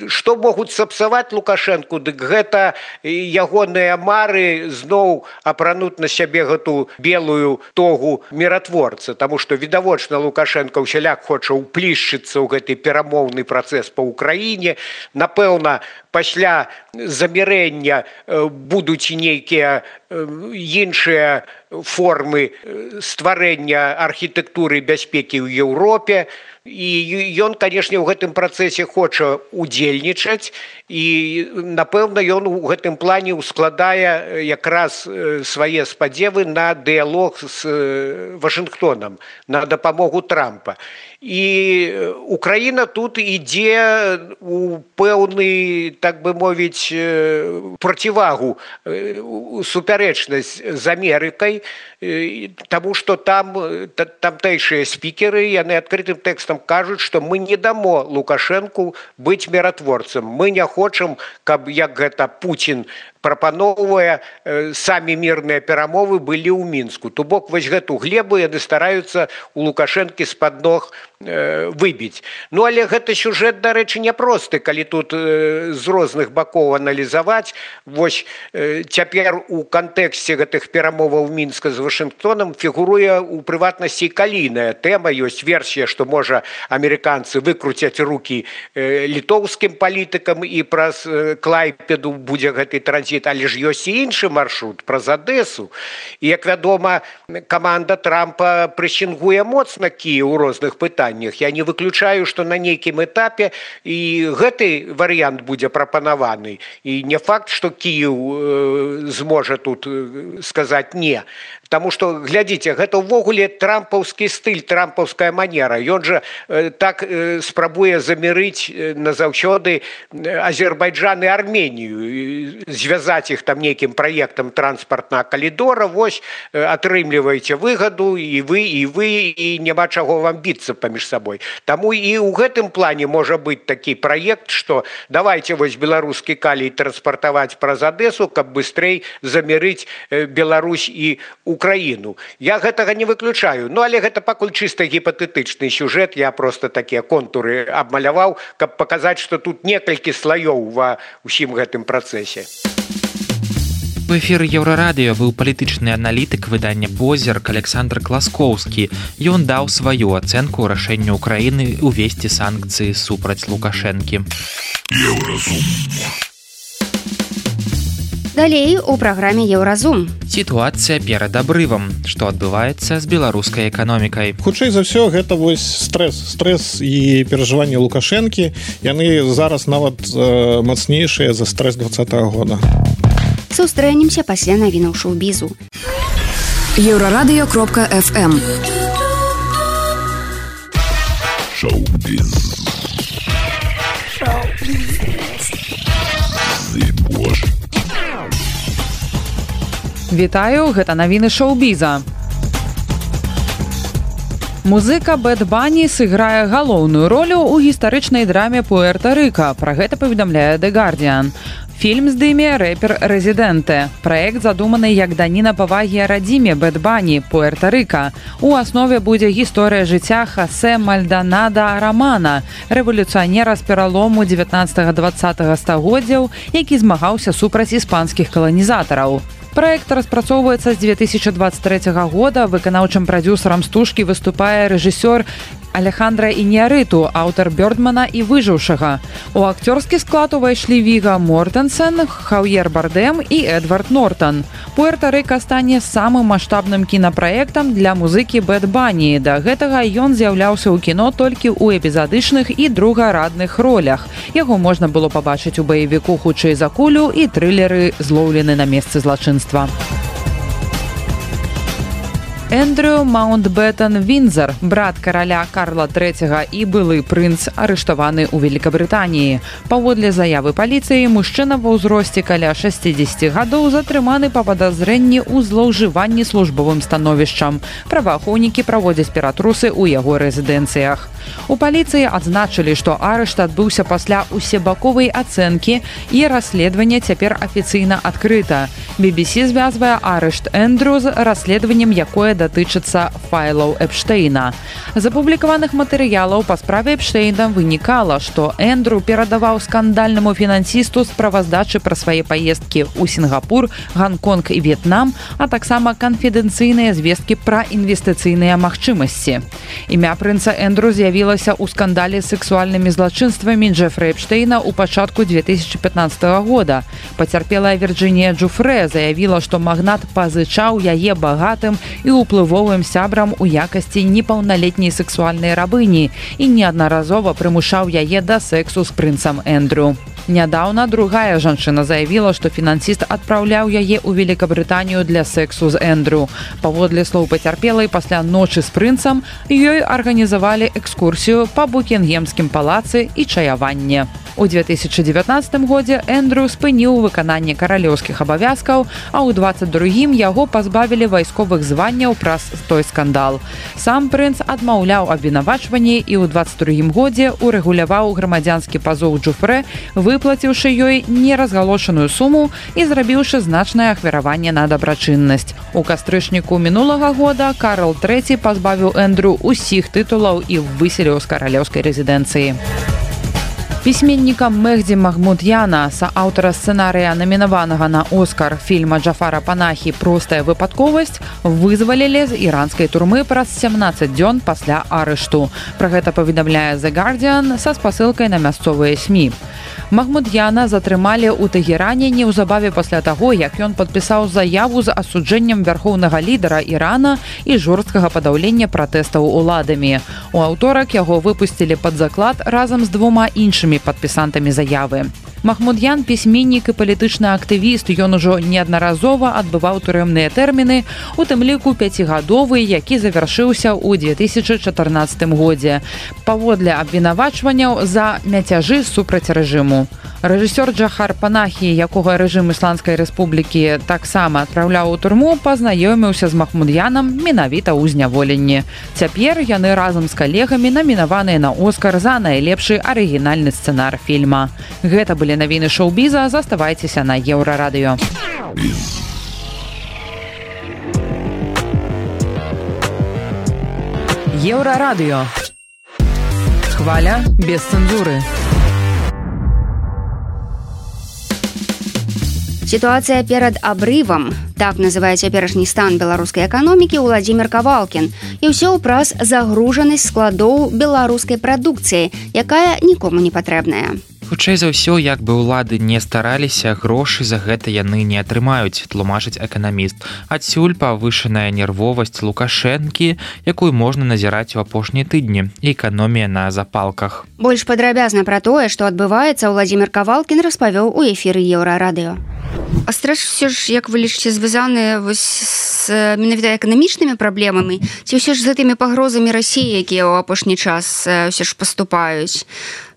Што могуць сапсаваць Лукашенку? Дык гэта ягоныя мары зноў апрануць на сябе гэту белую тогу міратворца, таму што відавочна Лукашенко ўсяляк хоча ўплішчыцца ў гэты перамоўны працэс па Ўкраіне. Напэўна, пасля замірэння будуць нейкія іншыя формы стварэння архітэктуры бяспекі ў Еўропе. І ён, канешне, ў гэтым працэсе хоча удзельнічаць, і, напэўна, ён у гэтым плане ускладае якраз свае спадзевы на дыялог з Вашынгтонам, на дапамогу Трампа. І Украіна тут ідзе у пэўны, так бы мовіць, процівагу, супярэчнасць з Амерыкай, таму што тамтэйшыя спікеры, яны адкрытым тэкстам кажуць, што мы не дамо Лукашэнку быць міратворцам. Мы не хочам, каб, як гэта Пуцін прапаноўвае, самі мірныя перамовы былі ў Мінску. То бок, вось гэту глебу яны стараюцца у Лукашэнкі з-пад ног выбіць. Ну, але гэта сюжэт, дарэчы, няпросты, калі тут з розных бакоў аналізаваць. Вось цяпер у кантэксце гэтых перамоваў Мінска з Вашынгтонам фігуруе ў прыватнасці калійная тэма. Ёсць версія, што, можа, амерыканцы выкруцяць рукі літоўскім палітыкам і праз Клайпеду будзе гэты транзіт. Але ж ёсць і іншы маршрут праз Адэсу. І, як вядома, каманда Трампа прэсінгуе моцна Кіеў у розных пытаннях. Я не выключаю, што на нейкім этапе і гэты варыянт будзе прапанаваны. І не факт, што Кіеў зможа тут сказаць «не». Таму што, глядзіце, гэта ўвогуле трампаўскі стыль, трампаўская манера. Ён жа так спрабуе замірыць назаўсёды Азербайджан і Арменію, звязаць іх там нейкім праектам транспартнага калідора. Вось, атрымліваеце выгаду і вы, і няма чаго вам біцца паміж сабой. Таму і ў гэтым плане можа быць такі праект, што давайце вось беларускі калій транспартаваць праз Адэсу, каб быстрэй замірыць Беларусь і Украіну. Я гэтага не выключаю. Ну, але гэта пакуль чыста гіпатэтычны сюжэт. Я проста такія контуры абмаляваў, каб паказаць, што тут некалькі слаёў ва ўсім гэтым працэсе. В эфіры Еўрарадыё быў палітычны аналітык выдання «Позірк» Александр Класкоўскі. Ён даў сваю ацэнку рашэнню Украіны увесці санкцыі супраць Лукашэнкі. Еўразум. Далей у праграме «Еўразум». Сітуацыя перад абрывам. Што адбываецца з беларускай эканомікай? Хутчэй за ўсё, гэта вось стресс і перажыванні Лукашэнкі. Яны зараз нават мацнейшыя за стресс 2020 года. Сустрэнемся пасля навінаў шоу-бізу. Еўрарадыё.фм. Шоу-біз. Вітаю, гэта навіны шоу-біза. Музыка Бэд Бані сыграе галоўную ролю ў гістарычнай драме Пуэрта-Рыка. Пра гэта паведамляе The Guardian. Фільм здыме рэпер Рэзідэнте. Праект задуманы як даніна павагі радзіме Бэд Бані, Пуэрта-Рыка. У аснове будзе гісторыя жыцця Хосе Мальдонада Романа, рэвалюцыянера з пералому 19-20 стагоддзяў, які змагаўся супраць іспанскіх каланізатараў. Праект распрацоўваецца з 2023 года. Выканаўчым прадзюсарам стужкі выступае рэжысёр Алехандра Ініарыту, аўтар Бёрдмана і выжыўшага. У акцёрскі склад увайшлі Віга Мортенсен, Хаўер Бардэм і Эдвард Нортон. Пуэрта-Рыка стане самым маштабным кінапраектам для музыкі Бэд Бані. Да гэтага ён з'яўляўся ў кіно толькі ў эпізадычных і другарадных ролях. Яго можна было пабачыць у баевіку «Хутчэй за кулю» і трылеры «Злоўлены на месцы злачынства». Эндрю Маунтбеттен Віндзар, брат караля Карла III і былы прынц, арыштаваны ў Великабрытаніі. Паводле заявы паліцыі, мужчына ва ўзросце каля 60 гадоў затрыманы па падазрэнні ў злоўжыванні службовым становішчам. Праваахоўнікі праводзяць ператрусы ў яго рэзідэнцыях. У паліцыі адзначылі, што арышт адбыўся пасля усебаковай ацэнкі і расследаванне цяпер афіцыйна адкрыта. BBC звязвае арышт Эндрю з расследаваннем, якое датычыцца файлаў Эпштейна. З апублікаваных матэрыялаў па справе Эпштейна вынікала, што Эндрю перадаваў скандальнаму фінансісту справаздачы пра свае паездкі ў Сінгапур, Ганконг і В'етнам, а таксама канфідэнцыйныя звесткі пра інвестыцыйныя магчымасці. Імя прынца Эндрю з'явілася ў скандале з сексуальнымі злачынствамі Джефры Эпштейна ў пачатку 2015 года. Пацярпелая Вірджынія Джуфрэ Жуфрэ заявіла, што магнат пазычаў яе багатым і ўплывовым сябрам у якасці непаўналетняй сексуальнай рабыні і неаднаразова прымушаў яе да сексу з прынцам Эндрю. Нядаўна другая жанчына заявіла, што фінансіст адпраўляў яе ў Великабрытанію для сексу з Эндрю. Паводле слоў пацярпелай, пасля ночы з прынцам ёй арганізавалі экскурсію па Букінгемскім палацы і чаяванне. У 2019 годзе Эндрю спыніў выкананне каралеўскіх абавязкаў, а ў 22-м яго пазбавілі вайсковых званняў праз той скандал. Сам прынц адмаўляў абвінавачванні і ў 22-м годзе урэгуляваў грамадзянскі пазоў Жуфрэ, выплаціўшы ёй неразгалошаную суму і зрабіўшы значнае ахвяраванне на дабрачыннасць. У кастрычніку мінулага года Карл III пазбавіў Эндрю ўсіх тытулаў і выселіў з каралеўскай рэзідэнцыі. Пісьменніка Мехді Махмуд'яна, сааўтара сцэнарыя намінаванага на Оскар фільма Джафара Панахі «Простая выпадковасць», вызвалілі з іранскай турмы праз 17 дзён пасля арышту. Пра гэта паведамляе The Guardian са спасылкай на мясцовыя СМІ. Махмуд'яна затрымалі ў Тэгеране неўзабаве пасля таго, як ён падпісаў заяву з асуджэннем вярхоўнага лідара Ірана і жорсткага падаўлення пратэстаў уладамі. У аўторак яго выпусцілі пад заклад разам з двума іншымі падпісантамі заявы. Махмуд'ян – пісьменнік і палітычны актывіст. Ён ужо неаднаразова адбываў турэмныя тэрміны, у тым ліку 5-гадовы, які завяршыўся ў 2014 годзе. Паводле абвінавачванняў за мяцяжы супраць рэжыму. Рэжысёр Джафар Панахі, якога рэжым Ісландскай рэспублікі таксама адпраўляў у турму, пазнаёміўся з Махмуд'янам менавіта ў зняволенні. Цяпер яны разам з калегамі намінаваныя на Оскар за найлепшы арыгінальны сцэнар фільма. Гэта былі навіны шоу-біза, заставайцеся на Еўрарадыё. Еўрарадыё. Хваля без цэнзуры. Сітуацыя перад абрывам. Так называе цяперашні стан беларускай эканомікі Уладзімір Кавалкін. І ўсё праз загружанасць складоў беларускай прадукцыі, якая нікому не патрэбная. Хутчэй за ўсё, як бы ўлады не стараліся, грошы за гэта яны не атрымаюць, тлумачыць эканаміст. Адсюль павышаная нервовасць Лукашэнкі, якую можна назіраць у апошнія тыдні, і эканомія на запалках. Больш падрабязна пра тое, што адбываецца, Уладзімір Кавалкін распавёў у эфіры Еўрарадыё. А стрэс все ж, як вы лічыце, звязаны з менавіта эканамічнымі праблемамі, ці ўсё ж з гэтымі пагрозамі Расіі, якія ў апошні час ўсё ж паступаюць?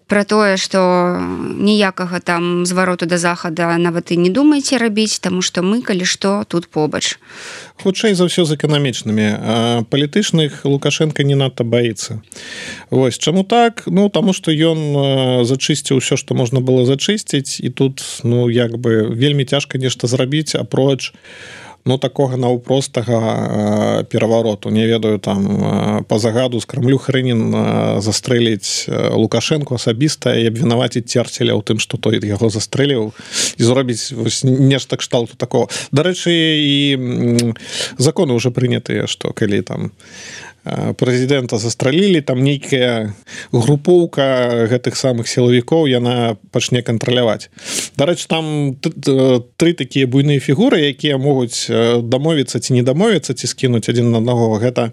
Пра тое, што ніякага там звароту да захада нават і не думаеце рабіць, таму што мы, калі што, тут побач. Хутчэй за ўсё з эканамічнымі, а палітычных Лукашенко не надта баіцца. Вось, чаму так? Ну, таму што ён зачысціў ўсё, што можна было зачысціць, і тут, ну, як бы вельмі цяжка нешта зрабіць, апроч такога наўпростага перавароту. Не ведаю, там па загаду з Крамлю Хрынін застрэліць Лукашенко асабіста і абвінаваціць Церцеля ў тым, што той яго застрэліў, і зробіць нешта кшталту такого. Дарэчы, і законы ўжо прынятыя, што калі там прэзідэнта застралілі, там нейкая групоўка гэтых самых сілавікоў яна пачне кантраляваць. Дарэчы, там 3 такія буйныя фігуры, якія могуць дамовіцца ці не дамовіцца, ці скінуць адзін на аднаго. Гэта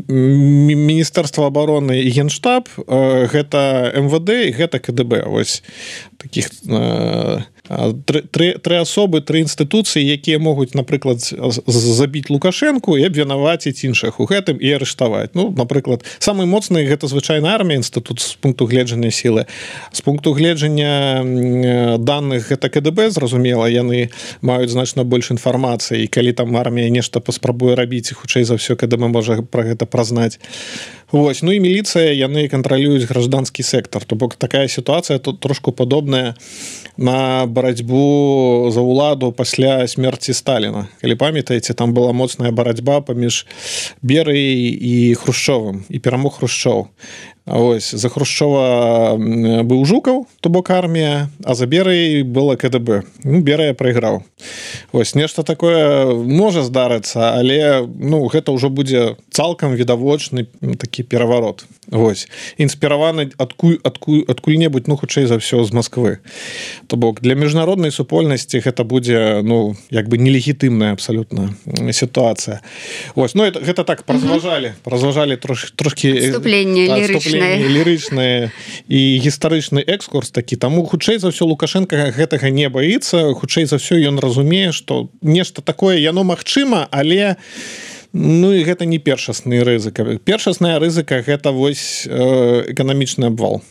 Міністэрства абароны і Генштаб, гэта МВД і гэта КДБ. Вось такіх тры асобы, 3 інстытуцыі, якія могуць, напрыклад, забіць Лукашэнку і абвінаваціць іншых у гэтым і арыштаваць. Ну, напрыклад, самы моцны гэта звычайна армія, інстытут з пункту гледжання сілы. З пункту гледжання даных гэта КДБ, зразумела, яны маюць значна больш інфармацыі, і калі там армія нешта паспрабуе рабіць, хутчэй за ўсё КДБ можа пра гэта празнаць. Вось, ну і міліцыя, яны кантралююць гражданскі сектор. То бок такая сітуацыя тут трошку падобная на барацьбу за ўладу пасля смерці Сталіна. Калі памятаеце, там была моцная барацьба паміж Берыяй і Хрушчовым, і перамог Хрушчоў. Ось за Хрушчова быў Жукаў, то бок армія, а за Берай было КДБ. Ну, Берая прайграў. Ось нешта такое можа здарыцца, але ну гэта ўжо будзе цалкам відавочны такі пераварот. Вось інспіраваны адкуль-небудзь, ну хутчэй за ўсё з Масквы. То бок для міжнароднай супольнасці гэта будзе ну як бы нелегітымная абсалютна сітуацыя. Ось ну гэта так празважалі трошкі вступленне лірычнае і гістарычны экскурс такі. Таму хутчэй за ўсё Лукашенко гэтага не баіцца, хутчэй за ўсё ён разумее, што нешта такое яно магчыма, але ну і гэта не першасны рызыка. Першасная рызыка гэта вось эканамічны абвал.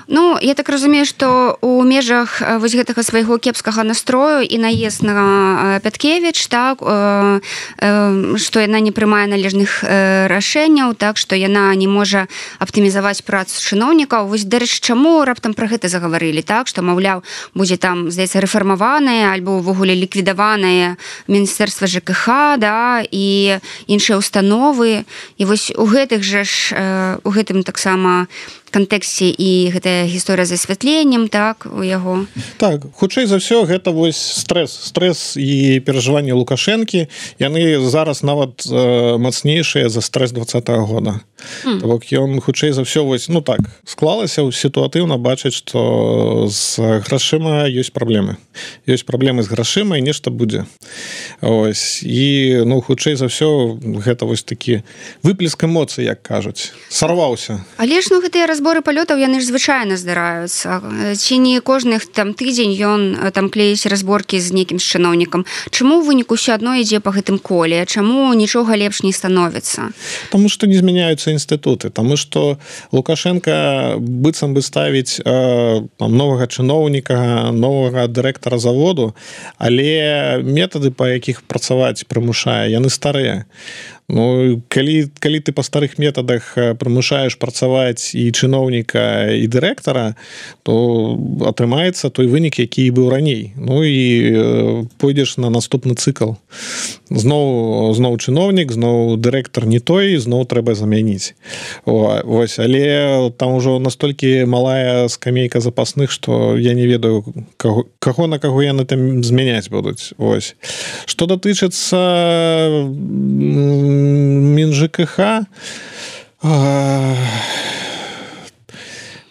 Ну, я так разумею, што у межах вось гэтага свайго кепскага настрою і наезд на Пяткевіч, так, што яна не прымае належных рашэнняў, так, што яна не можа аптымізаваць працу чыноўнікаў. Вось, дарэчы, чаму раптам пра гэта загаварылі, так, што, маўляў, будзе там, здаецца, рэфармаванае альбо ўвогуле ліквідаванае Міністэрства ЖКХ, да, і іншыя установы. І вось у гэтых жа ж, у гэтым таксама кантэксце і гэтая гісторыя з асвятленнем, так, у яго. Так, хутчэй за ўсё гэта вось стресс і перажыванне Лукашэнкі, яны зараз нават мацнейшыя за стресс 20-го года. То бок ён хутчэй за ўсё вось, ну так, склалася сітуатыўна бачыць, што з грашыма ёсць праблемы. Ёсць праблемы з грашыма і нешта будзе. Ось, і ну хутчэй за ўсё гэта вось такі выплеск эмоцый, як кажуць. Сарваўся. Але ж ну гэтыя разборы палётаў яны ж звычайна здараюцца. Ці не кожных там тыдзень ён там клеіць разборкі з некім чыноўнікам. Чаму ў выніку ўсё адно ідзе па гэтым коле? Чаму нічога лепш не становіцца? Таму што не змяняюцца інстытуты, таму што Лукашенко быццам бы ставіць новага чыноўніка, новага дырэктара заводу, але метады, па якіх працаваць прымушае, яны старыя. Ну, калі ты па старых метадах прымушаеш працаваць і чыноўніка, і дырэктара, то атрымаецца той вынік, які быў раней. Ну і пойдзеш на наступны цыкл. Зноў чыноўнік, зноў дырэктар не той, зноў трэба замяніць. Вось, але там ужо настолькі малая скамейка запасных, што я не ведаю, каго на каго яны там змяняць будуць. Вось. Што датычыцца МінЖКХ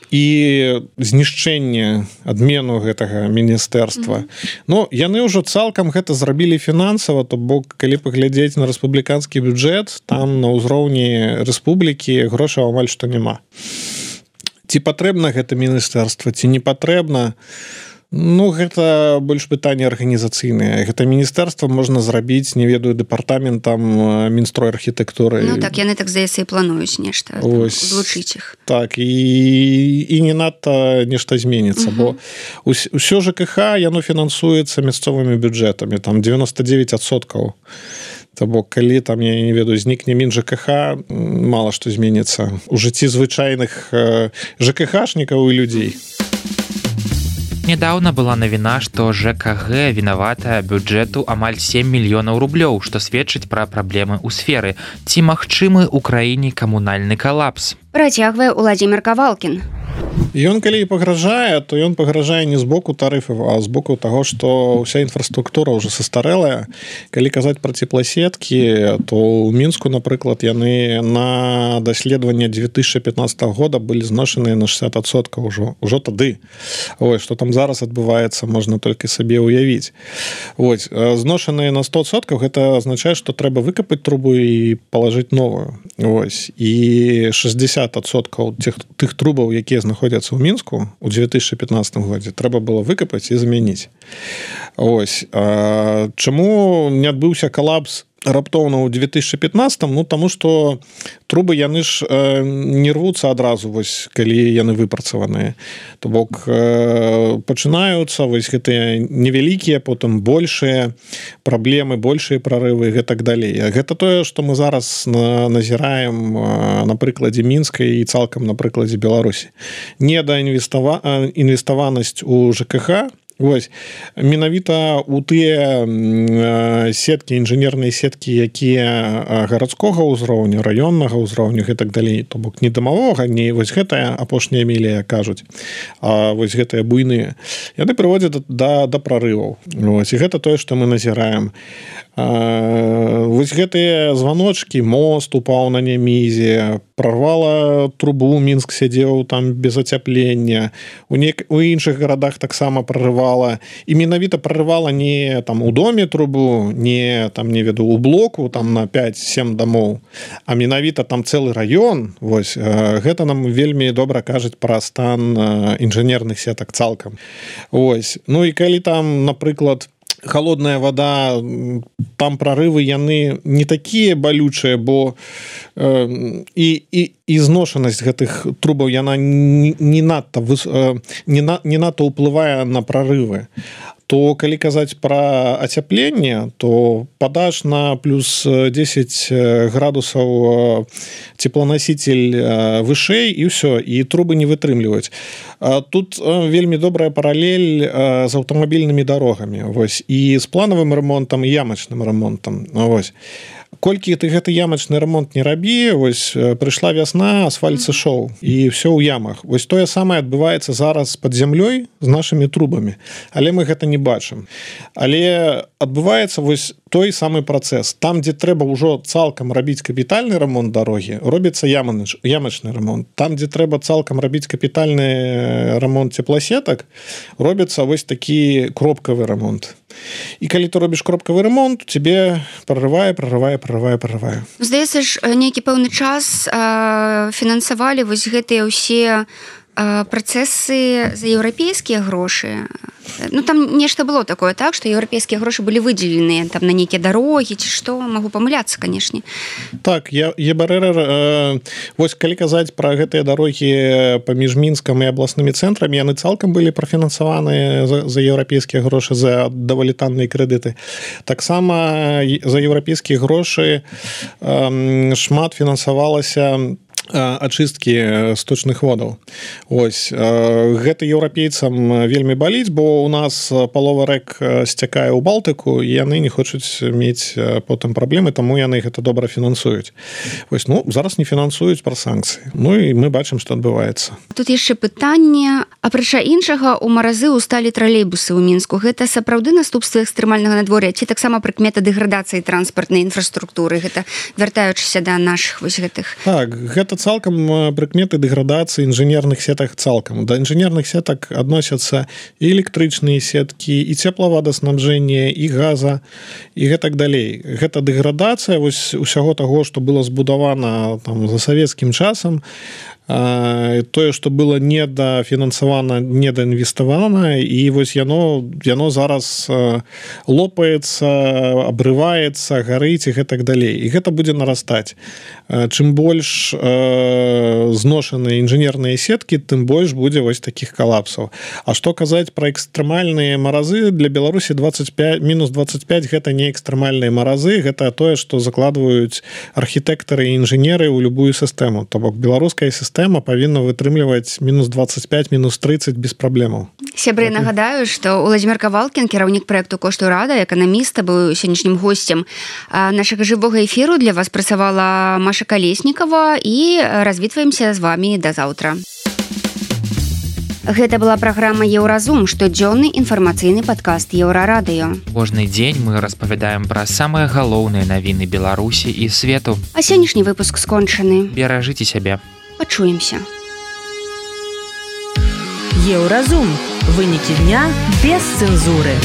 і знішчэнне адмену гэтага міністэрства. Ну, яны ўжо цалкам гэта зрабілі фінансава, то бок, калі паглядзець на рэспубліканскі бюджэт, там на ўзроўні рэспублікі грошаў амаль што няма. Ці патрэбна гэта міністэрства, ці не патрэбна? Ну, гэта больш пытанне арганізацыйнае. Гэта міністэрства можна зрабіць, не ведаю, дэпартаментам Мінстрой архітэктуры. Ну, так, яны, так, здаецца, і плануюць нешта, злучыць іх. Так, і не надта нешта зменіцца, бо ўсё ЖКХ, яно фінансуецца мясцовымі бюджэтамі, там 99%. То бок, калі там, я не ведаю, знікне МінЖКХ, мала што зменіцца у жыцці звычайных ЖКХшнікаў і людзей. Нядаўна была навіна, што ЖКГ вінаватая бюджэту амаль 7 мільёнаў рублёў, што сведчыць пра праблемы ў сферы. Ці магчымы ў краіне камунальны калапс? Працягвае Уладзімір Кавалкін. Ён калі і пагражае, то ён пагражае не з боку тарыфаў, а з боку таго, што ўся інфраструктура ўжо састарэлая. Калі казаць пра цепласеткі, то ў Мінску, напрыклад, яны на даследаванне 2015 года былі зношаныя на 60% ўжо тады. Ой, што там зараз адбываецца, можна толькі сабе ўявіць. Ось, зношаныя на 100%, гэта азначае, што трэба выкапаць трубу і палажыць новую. Ось, і 60% тых трубаў, якія знаходзяцца ў Мінску у 2015 годзе, трэба было выкапаць і замяніць. Ось. Чаму не адбыўся калапс раптоўна ў 2015, ну, таму што трубы яны ж не рвуцца адразу, вось, калі яны выпрацаваныя. То бок пачынаюцца вось гэтыя невялікія, потым большыя праблемы, большыя прарывы і гэтак далей. Гэта тое, што мы зараз назіраем на прыкладзе Мінска і цалкам на прыкладзе Беларусі. Недаінвеставанасць у ЖКХ Вось менавіта у тыя сеткі інжынерныя сеткі якія гарадскога ўзроўню раённага ўзроўню і так далей то бок не дамавога не вось гэтая апошняя мілія кажуць а вось гэтыя буйныя яны прыводзяць да прарываў вось і гэта тое што мы назіраем вось гэтыя званочки мост упаў на Немізе прорвала трубу Мінск сядзеў там без ацяплення у іншых гарадах таксама прорывала і менавіта прорывала не там у доме трубу не там не веду у блоку там на 5-7 домоў а менавіта там цэлы раён вось гэта нам вельмі добра кажуць пра стан інжынерных сетак цалкам ось ну і калі там напрыклад холодная вода там прорывы яны не такія балючыя бо і зношанасць гэтых трубаў яна не надта ўплывае на прорывы то калі казаць пра ацяпленне то падаш на плюс 10 градусаў теплоноситель вышэй і ўсё і трубы не вытрымліваюць тут вельмі добрая паралель з аўтамабільнымі дарогамі вось і з планавым ремонтам і ямачным ремонтам вось колькі ты гэты ямачны ремонт не рабі вось прыйшла вясна асфальт сышоў і все ў ямах вось тое самае адбываецца зараз под зямлёй з нашымі трубамі але мы гэта не бачым але адбываецца вось той самы працэс там дзе трэба ўжо цалкам рабіць капітальны ремонт дарогі робіцца ямачны ремонт там дзе трэба цалкам рабіць капітальны ремонт цепласетак робіцца вось такі кропкавы ремонт і калі ты робіш кропкавы ремонт тебе прорывае здаецца ж нейкі пэўны час фінансавалі вось гэтыя ўсе працэсы за еўрапейскія грошы ну там нешта было такое так што еўрапейскія грошы былі выдзеленыя там на нейкія дарогі ці што магу памыляцца канешне так ЕБРР вось калі казаць пра гэтыя дарогі паміж Мінскам і абласнымі цэнтрамі яны цалкам былі прафінансаваныя за еўрапейскія грошы за даволі танныя крэдыты таксама за еўрапейскія грошы шмат фінансавалася ачысткі сточных водаў ось гэта еўрапейцам вельмі баліць бо у нас палова рэк сцякае ў Балтыку і яны не хочуць мець потым праблемы таму яны гэта добра фінансуюць вось ну зараз не фінансуюць пра санкцыі ну і мы бачым што адбываецца тут яшчэ пытанне апрача іншага у маразы усталі тралейбусы ў Мінску гэта сапраўды наступствы экстрэмальнага надвор'я ці таксама прыкмета дэградацыі транспартнай інфраструктуры гэта вяртаючыся да нашых вось гэтых так гэта цалкам прыкметы дэградацыі інжынерных сетак цалкам да інжынерных сетак адносяцца і электрычныя сеткі і цеплаводаснабжэнне і газа і гэтак далей гэта дэградацыя вось усяго таго што было збудавана там за савецкім часам тое што было недафінансавана недаінвеставана і вось яно зараз лопаецца абрываецца гарыць і гэтак далей і гэта будзе нарастаць чым больш зношаныя інжынерныя сеткі тым больш будзе вось такіх калапсаў а што казаць пра экстрэмальныя маразы для Беларусі мінус 25 гэта не экстрэмальныя маразы гэта тое што закладваюць архітэктары і інжынеры ў любую сістэму то бок беларуская сістэма павінна вытрымліваць мінус 25 мінус 30 без праблемаў сябры нагадаю што Уладзімір Кавалкін кіраўнік праекту кошту рада эканаміста быў сённяшнім госцем нашага жывога эфіру для вас працавала Маша Калеснікава і развітваемся з вами да заўтра Гэта была праграма Еўразум, штодзённы інфармацыйны падкаст Еўрарадыё. Кожны дзень мы распавядаем пра самыя галоўныя навіны Беларусі і свету. А сённяшні выпуск скончаны. Беражыце сябе. Пачуемся. Еўразум. Вынікі дня без цэнзуры.